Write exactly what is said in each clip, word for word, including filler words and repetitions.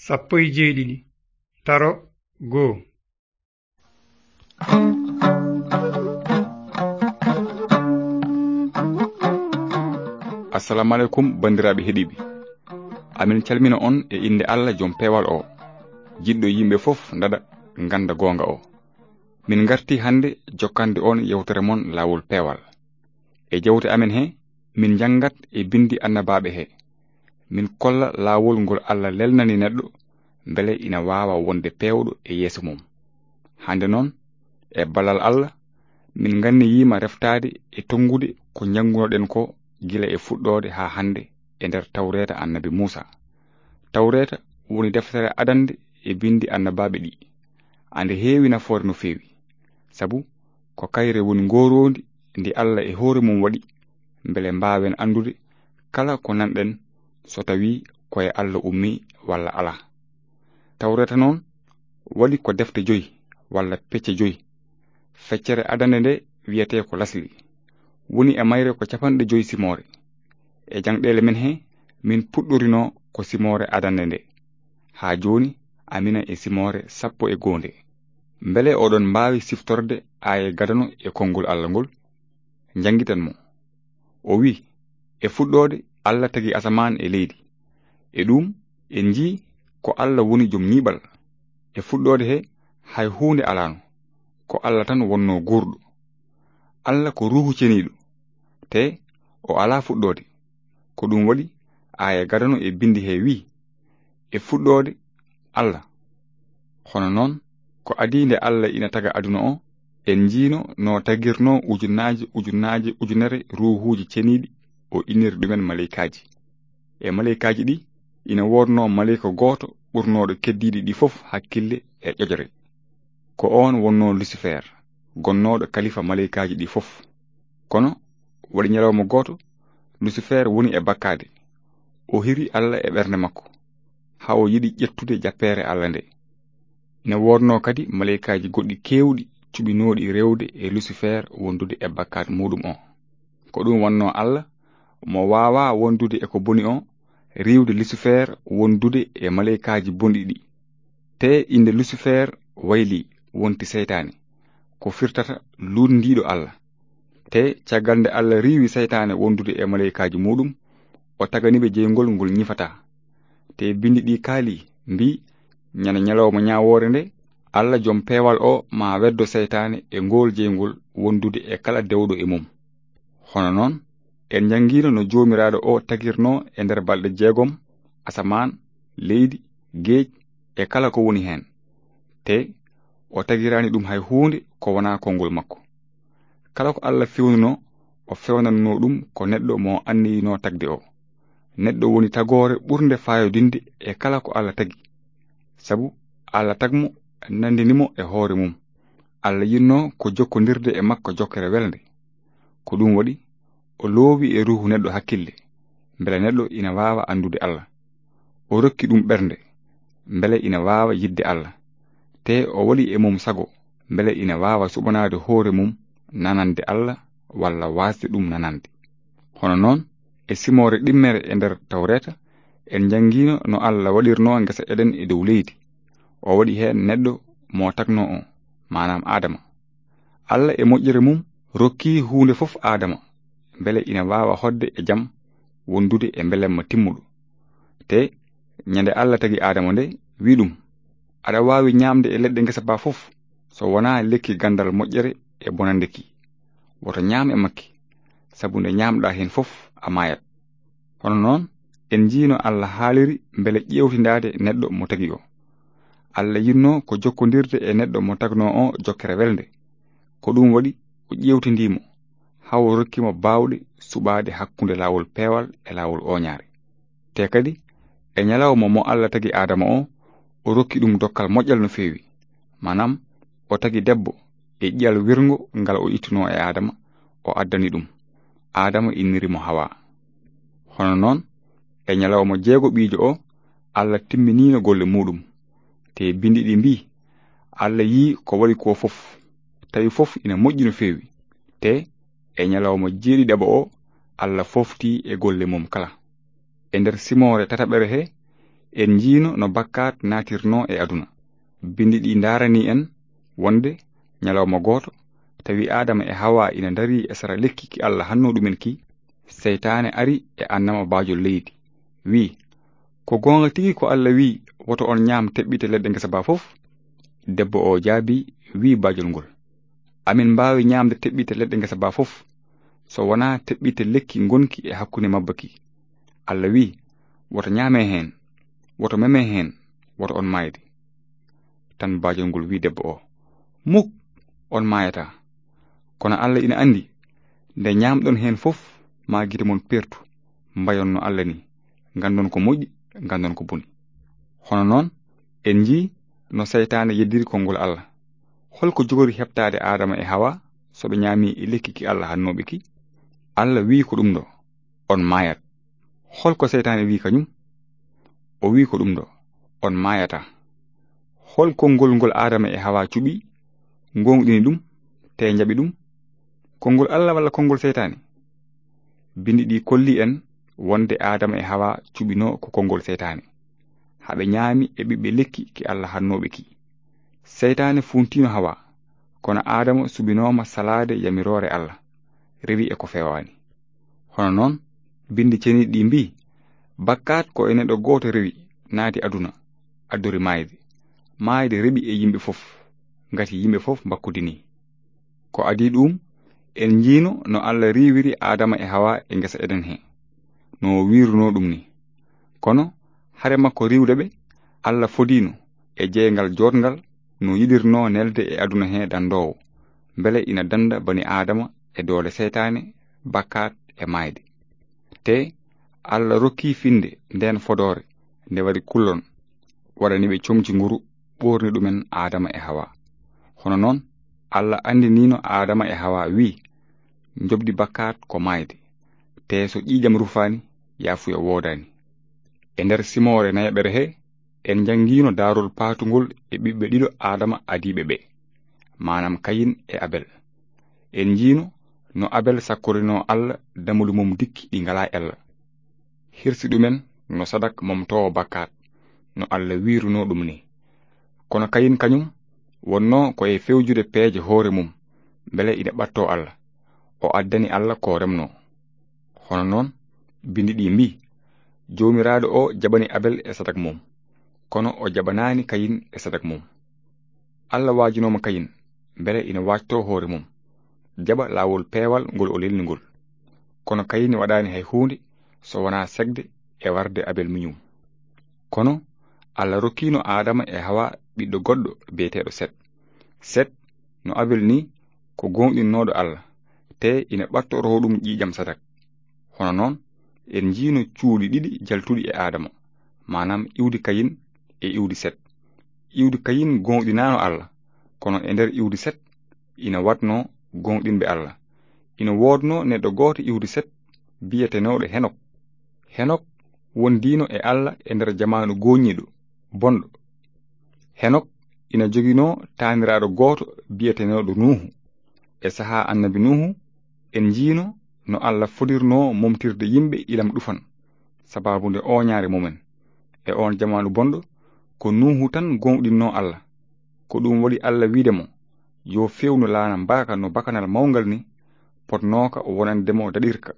Sappo e jeeɗiɗi. Taro goo. Assalamu aleykum, banndiraaɓe heɗiiɓe. Amin calmina on e innde Allah, jom peewal o, jiɗɗo yimɓe fof ndaɗa, ngannda goonga o. Min ngarti hannde jokkande on yewtere mon Laawol Peewal. E jewte amen he, min njanngat e binndi annabaaɓe he. Min kolla laawol ngol Allah lelnani neɗɗo, mbele ina waawa wonde peewɗo e yeeso mum. Hannde noon, e ballal Allah, min nganniyiima reftaade e tonngude ko njanngunoɗen ko gila e fuɗɗoode haa hannde e nder Tawreeta Annabi Muusa. Tawreeta woni deftere adannde e binndi annabaaɓe ɗi. Ande heewi nafoore no feewi, sabu ko kayre woni ngooroondi ndi Allah e hoore mum waɗi, mbele mbaawen anndude kala ko nanɗen, so tawii ko e Allah ummii walla alaa. Tawreeta noon waɗi ko defte joyi walla pecce joyi. Feccere adannde nde wiyetee ko Lasli, woni e mayre ko capanɗe joyi simoore. E jangɗeele men he, min puɗɗorinoo ko simoore adannde nde. Haa jooni, amina e simoore sappo e goo nde. Mbele oɗon mbaawi siftorde aaye gadano e konngol Allah ngol? Njanngitan mo. O wi'i, e fuɗɗoode, Allah tagi asamaan e leydi. E ɗum, en njii ko Allah woni jom ñiiɓal. E fuɗɗoode he, hay huunde alaano. Ko Allah tan wonnoo guurɗo. Allah ko Ruuhu Ceniiɗo, te o alaa fuɗɗoode. Ko ɗum waɗi, aaya gadano e binndi he wi'i, e fuɗɗoode, Allah. Hono noon, ko adii nde Allah ina taga aduna o, en njiino no tagirnoo ujunnaaje, ujunnaaje, ujunere ruuhuuji ceniiɗi, o inniri ɗumen maleykaaji. E maleykaaji ɗi, ina woodnoo maleyka gooto ɓurnooɗo keddiiɗi ɗi fof hakkille e ƴoƴre. Ko oon wonnoo Lusifer, gonnooɗo kalifa maleykaaji ɗi fof. Kono waɗi ñalawma gooto, Lusifer woni e bakkaade. O hiri Allah e ɓernde makko, haa o yiɗi ƴettude jappeere Allah nde. Ina woodnoo kadi maleykaaji goɗɗi keewɗi cuɓinooɗi rewde e Lusifer wondude e bakkaat muuɗum o. Ko ɗum wonnoo Allah, mo waawaa wondude e ko boni o, riiwde Lusifer wondude e maleykaaji bonɗi ɗi. Te innde Lusifer waylii, wonti seytaane, ko firtata luutndiiɗo Allah. Te caggal nde Allah riiwi seytaane wondude e maleykaaji muuɗum, o tagani ɓe jeyngol ngol ñifataa. Te binndi ɗi kaalii, mbii, ñande ñalawma ñaawoore nde, Allah jom peewal o maa weddo seytaane e ngool jeyngol wondude e kala dewɗo e mum. Hono noon, en njanngiino no Joomiraaɗo o tagirnoo e nder balɗe jeegom asamaan, leydi, geej e kala ko woni heen. Te o tagiraani ɗum hay huunde ko wonaa konngol makko. Kala ko Allah feewnunoo, o feewnannoo ɗum ko neɗɗo mo anniyinoo tagde o. Neɗɗo woni tagoore ɓurnde faayodinde e kala ko Allah tagi. Sabu Allah tagmo, nanndini mo e hoore mum. Allah yinnoo ko jokkondirde e makko jokkere welnde. Ko ɗum waɗi, o loowi e ruuhu neɗɗo hakkille, mbele neɗɗo ina waawa anndude Allah. O rokki ɗum ɓernde, mbele ina waawa yiɗde Allah. Te o waɗi e mum sago, mbele ina waawa suɓanaade hoore mum nanande Allah walla waasde ɗum nanande. Hono noon, e simoore ɗimmere e nder Tawreeta, en njanngiino no Allah waɗirnoo ngesa Eden e dow leydi. O waɗi heen neɗɗo mo tagnoo o, maanaam Aadama. Allah e moƴƴere mum rokki huunde fof Aadama, mbele ina waawa hoɗde e jam, wondude e mbelemma timmuɗo. Te ñande Allah tagi Aadama nde, wi'i ɗum, "Aɗa waawi ñaamde e leɗɗe ngesa ba fof, so wonaa lekki ganndal moƴƴere e bonannde ki. Woto ñaam e makki, sabu nde ñaamɗaa heen fof, a maayat." Hono noon, en njiino Allah haaliri mbele ƴeewtindaade neɗɗo mo tagi o. Allah yinnoo ko jokkondirde e neɗɗo mo tagnoo o jokkere welnde. Ko ɗum waɗi o ƴeewtindii mo, haa o rokki mo baawɗe suɓaade hakkunde laawol peewal e laawol ooñaare. Te kadi, e ñalawma mo Allah tagi Aadama o, o rokki ɗum dokkal moƴƴal no feewi. Maanaam, o tagi debbo e ƴi'al wirngo ngal o ittunoo e Aadama, o addani ɗum. Aadama inniri mo Hawa. Hono noon, e ñalawma jeegoɓiijo o, Allah timminiino golle muuɗum. Te binndi ɗi mbii, Allah yii ko waɗi ko fof, tawi fof ina moƴƴi no feewi. Te e ñalawma jeeɗiɗaɓo o, Allah fooftii e golle mum kala. E nder simoore tataɓere he, En njiino no bakkaat naatirnoo e aduna. Binndi ɗi ndaaranii en wonde ñalawma gooto, tawi Aadama e Hawa ina ndarii e sara lekki ki Alla hannoo ɗumen ki, seytaane ari e annama baajol leydi, wii: "Ko goonga tigi ko Alla wii, woto on ñaam teɓɓite leɗɗe ngesa baa fof?" Debbo o jaabii, wii baajol ngol: "Amin mbaawi ñaamde teɓɓite leɗɗe ngesa baa fof, so wonaa teɓɓite lekki ngonki e hakkunde mabba ki. Alla wii, woto ñaame heen, woto meme heen, woto on maayde." Tan baajol ngol wii debbo o: "Muk, on maayataa. Kono Alla ina anndi, nde ñaamɗon heen fof, maa gite mon pertu, mbayon no Alla ni, nganndon ko moƴƴi, nganndon ko boni." Hono noon, en njii no seytaane yeddiri konngol Alla. Holko jogori heɓtaade Aadama e Hawa so ɓe ñaami e lekki ki Alla hannooɓe ki? Alla wii ko ɗum ɗo: "On maayat." Holko seytaane wii kañum? O wii ko ɗum ɗo: "On maayataa." Hol konngol ngol Aadama e Hawa cuɓi, ngoongɗini ɗum, te njaɓi ɗum? Konngol Alla walla konngol seytaane? Binndi ɗi kolli en wonde Aadama e Hawa cuɓinoo ko konngol seytaane, haa ɓe ñaami e ɓiɓɓe lekki ki Alla hannooɓe ki. Seytaane fuuntiino Hawa, kono Aadama suɓinooma salaade yamiroore Alla, rewi e ko feewaani. Hono noon, binndi ceniiɗi ɗi mbii: "Bakkaat ko e neɗɗo gooto rewi, naati aduna, addori maayde. Maayde reɓi e yimɓe fof, ngati yimɓe fof mbakkudinii." Ko adii ɗuum, en njiino no Alla riiwiri Aadama e Hawa e ngesa Eden he, no o wiirunoo ɗum ni. Kono hare makko riiwde ɓe, Alla fodiino e jeyngal jooɗngal no yiɗirnoo nelde e aduna he danndoowo, mbele ina dannda bani Aadama e doole seytaane, bakkaat e maayde. Te Alla rokkii finnde ndeen fodoore nde waɗi kullon, waɗani ɓe comci nguru, ɓoorni ɗumen Aadama e Hawa. Hono noon, Alla anndiniino Aadama e Hawa, wii: "Njoɓdi bakkaat ko maayde, te so ƴiiƴam rufaani, yaafuya woodaani." E nder simoore nayaɓere he, en njanngiino daarol paatungol e ɓiɓɓe ɗiɗo Aadama adiiɓe ɓe, maanaam Kayin e Abel. En njiino no Abel sakkorinoo Alla damuli mum dikki ɗi ngalaa ella, hirsi ɗumen no sadak momtoowo bakkaat, no Alla wiirunoo ɗum ni. Kono Kayin kañum wonnoo ko e fewjude peeje hoore mum, mbele ina ɓattoo Alla, o addani Alla ko remnoo. Hono noon, binndi ɗi mbii: "Joomiraaɗo o jaɓani Abel e sadak mum, kono o jaɓanaani Kayin e sadak mum." Alla waajinooma Kayin, mbele ina waajtoo hoore mum, jaɓa laawol peewal ngol o lelni ngol. Kono Kayin waɗaani hay huunde so wonaa sekde e warde Abel miñum. Kono Alla rokkiino Aadama e Hawa ɓiɗɗo goɗɗo biyeteeɗo Set. Set, no Abel ni, ko gooŋɗinnooɗo Alla, te ina ɓattoroo ɗum ƴiiƴam sadak. Hono noon, en njiino cuuɗi ɗiɗi jaltuɗi e Aadama, maanaam iwdi Kayin e iwdi Set. Iwdi Kayin gooŋɗinaano Alla, kono e nder iwdi Set ina waɗnoo gooŋɗinɓe Alla. Ina woodnoo neɗɗo gooto iwdi Set biyetenooɗo Henok. Henok wondiino e Alla e nder jamaanu gooŋiiɗo, bonɗo. Henok ina joginoo taaniraaɗo gooto biyetenooɗo Nuuhu. E sahaa Annabi Nuuhu, en njiino no Alla fodirnoo momtirde yimɓe ilam ɗufan, sabaabu nde ooñaare mumen. E oon jamaanu bonɗo, ko Nuuhu tan gooŋɗinnoo Alla. Ko ɗum waɗi Alla wiide mo: "Yo feewnu laana mbaaka no bakanal mawngal ni, potnooka wonande mo daɗirka,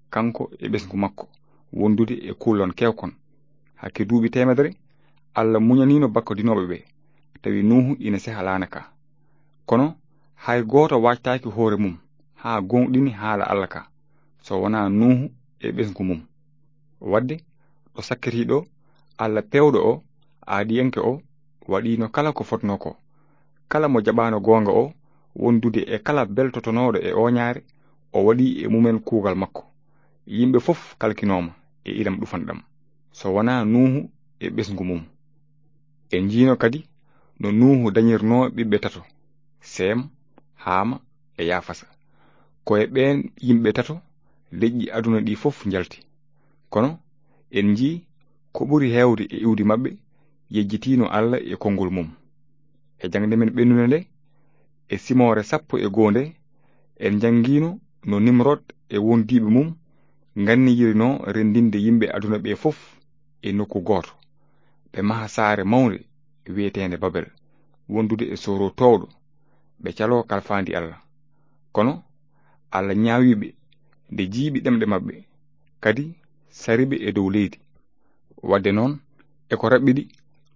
kanko e ɓesngu makko, wondude e kullon keewkon. Hakke duuɓi teemedere, Alla muñaniino bakkodinooɓe ɓe, tawi Nuuhu ina seha laana ka. Kono hay gooto waajtaaki hoore mum haa gooŋɗini haala Alla ka, so wonaa Nuuhu e ɓesngu mum." Wadde, ɗo sakkitii ɗo, Alla peewɗo o, aaɗiyanke o, waɗiino kala ko fotnoo ko. Kala mo jaɓaano goonga o, wondude e kala beltotonooɗo e ooñaare, o waɗi e mumen kuugal makko. Yimɓe fof kalkinooma e ilam ɗufan ɗam, so wonaa Nuuhu e ɓesngu mum. En njiino kadi no Nuuhu dañirnoo ɓiɓɓe tato, Seem, Haama e Yaafasa. Ko e ɓeen yimɓe tato leƴƴi aduna ɗi fof njalti. Kono en njii ko ɓuri heewde e iwdi maɓɓe yejjitiino Alla e konngol mum. E jaŋde men ɓennunde nde, e simoore sappo e goo nde, en njanngiino no Nimrod e wondiiɓe mum nganniyirnoo renndinde yimɓe aduna ɓe fof e nokku gooto. ɓe maha saare mawnde wi'eteende Babel, wondude e sooro toowɗo, ɓe caloo kalfaandi Allah. Kono Allah ñaawi ɓe, nde jiiɓi ɗemɗe maɓɓe, kadi sari ɓe e dow leydi. Wadde noon, e ko raɓɓiɗi,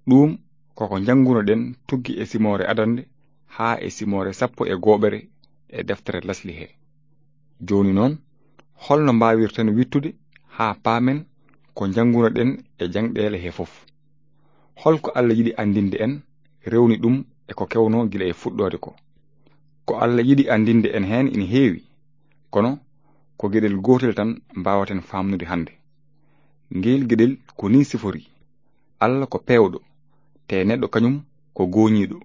ɗuum koko njanngunoɗen tuggi e simoore adannde haa e simoore sappo e gooɓere e deftere lasli he. Jooni noon, holno mbaawirten wittude haa paamen ko njanngunoɗen e jaŋɗeele he fof? Holko Allah yiɗi anndinde en, rewni ɗum e ko kewnoo gila e fuɗɗoode ko? Ko Allah yiɗi anndinde en heen ina heewi, kono ko geɗel gootel tan mbaawaten faamnude hannde. Ngeel geɗel ko nii sifori: Allah ko peewɗo, te neɗɗo kañum ko gooñiiɗo.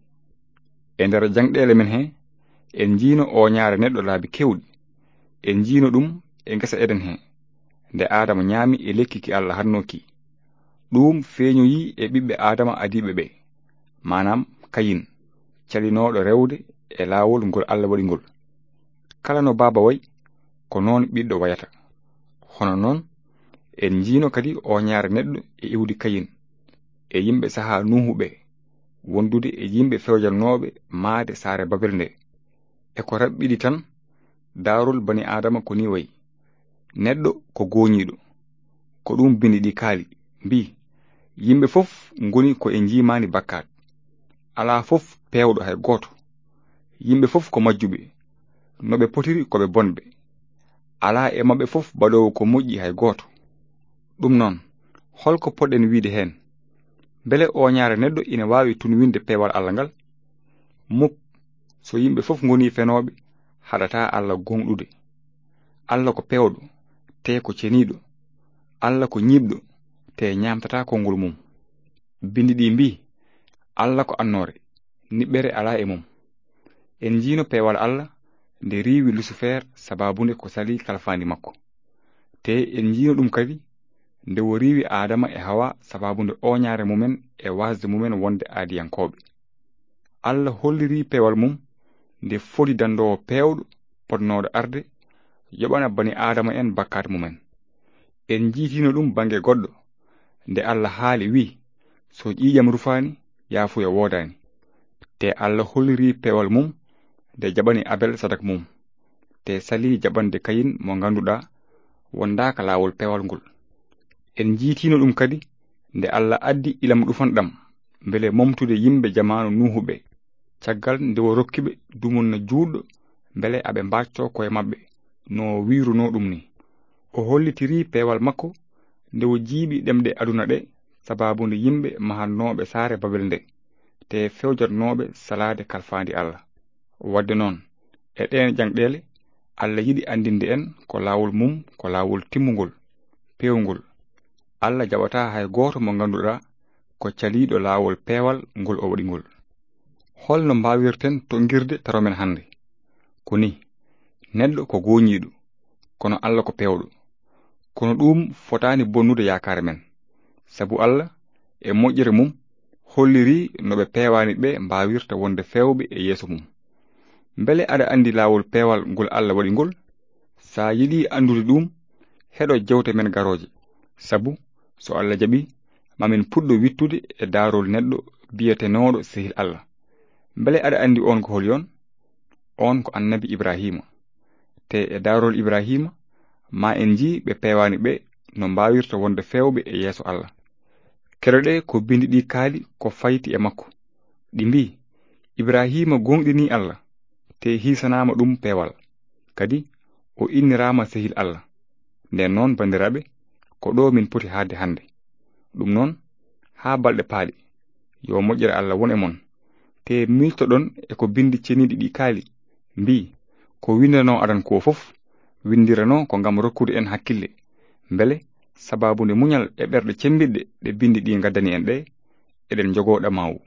E nder jaŋɗeele men he, en njiino ooñaare neɗɗo laabi keewɗi. En njiino ɗum e ngesa Eden he, nde Aadama ñaami e lekki ki Allah haɗnoo ki. Ɗum feeñoyi e ɓiɓɓe Aadama adiiɓe ɓe, maanaam Kayin, calinooɗo rewde e laawol ngol Allah waɗi ngol. Kala no baaba wayi, ko noon ɓiɗɗo wayata. Hono noon, en njiino kadi ooñaare neɗɗo e iwdi Kayin, e yimɓe sahaa Nuuhu ɓe, wondude e yimɓe fewjanooɓe maayde saare Babel nde. E ko raɓɓiɗi tan, daarol bani Aadama ko nii wayi: neɗɗo ko gooñiiɗo. Ko ɗum binndi ɗi kaali, mbii: "Yimɓe fof ngoni ko e njiimaandi bakkaat. Alaa fof peewɗo hay gooto. Yimɓe fof ko majjuɓe. No ɓe potiri ko ɓe bonɓe. Alaa e maɓɓe fof baɗoowo ko moƴƴi hay gooto." Ɗum noon, holko poɗɗen wiide heen? Mbele ooñaare neɗɗo ina waawi tunwinde peewal Allah ngal? Muk, so yimɓe fof ngoni fenooɓe, haɗataa Allah gooŋɗude. Allah ko peewɗo, te ko ceniiɗo. Allah ko ñiiɓɗo, te ñaamtataa konngol mum. Binndi ɗi mbii: "Allah ko annoore, niɓɓere alaa e mum." En njiino peewal Allah nde riiwi Lusifer sabaabu nde ko salii kalfaandi makko. Te en njiino ɗum kadi nde o riiwi Aadama e Hawa sabaabu nde ooñaare mumen e waasde mumen wonde aadiyankooɓe. Allah holliri peewal mum nde fodi dandoowo peewɗo potnooɗo arde yoɓana bani Aadama en bakkaat mumen. En njiitiino ɗum bannge goɗɗo, nde Allah haali, wii: "So ƴiiƴam rufaani, yaafuya woodaani." Te Allah holliri peewal mum nde jaɓani Abel sadak mum, te salii jaɓande Kayin mo ngannduɗaa wondaaka laawol peewal ngol. En njiitiino ɗum kadi nde Allah addi ilam ɗufanɗam, mbele momtude yimɓe jamaanu Nuuhu ɓe, caggal nde o rokki ɓe dumunna juutɗo, mbele aɓe mbaaccoo koye maɓɓe, no o wiirunoo ɗum ni. O hollitiri peewal makko nde o jiiɓi ɗemɗe aduna ɗe, sabaabu nde yimɓe mahannooɓe saare Babel nde, te fewjatnooɓe salaade kalfaandi Allah. Wadde noon, e ɗeen jaŋɗeele, Allah yiɗi anndinde en ko laawol mum, ko laawol timmungol, peewngol. Allah jaɓataa hay gooto mo ngannduɗaa ko caliiɗo laawol peewal ngol o waɗi ngol. Holno mbaawirten toŋngirde taro men hannde? Ko ni, neɗɗo ko gooñiiɗo, kono Allah ko peewɗo. Kono ɗum fotaani bonnude yaakaare men, sabu Allah e moƴƴere mum holliri no ɓe peewaani ɓe mbaawirta wonde feewɓe e yeeso mum. Mbele aɗa anndi laawol peewal ngol Allah waɗi ngol? Sa yiɗi anndude ɗum, heɗo jewte men garooje, sabu so Allah jaɓi, mamin puɗɗo wittude e daarol neɗɗo biyetenooɗo sehil Allah. Mbele aɗa anndi on ko holi on? On ko annabi Ibrahima. Te e daarol Ibrahima, ma en njii ɓe peewaani ɓe no mbaawirta wonde feewɓe e yeeso Allah. Keɗoɗe ko binndi ɗi kaali ko fayti e makko. Ɗi mbii: "Ibrahima gooŋɗinii Allah, te hiisanaama ɗum peewal. Kadi o inniraama sehil Allah." Nden noon, banndiraaɓe, ko ɗo min poti haalde hannde. Ɗum noon, haa balɗe paaɗe, yo moƴƴere Allah won e mon. Te miiltoɗon e ko binndi ceniiɗi ɗi kaali, mbii: "Ko winndanoo aran ko fof, winndiranoo ko ngam rokkude en hakkille. Mbele, sabaabu nde muñal e ɓerɗe cemmbiɗɗe ɗe binndi ɗi ngaddani en ɗe, eɗen njogoo ɗamaawu."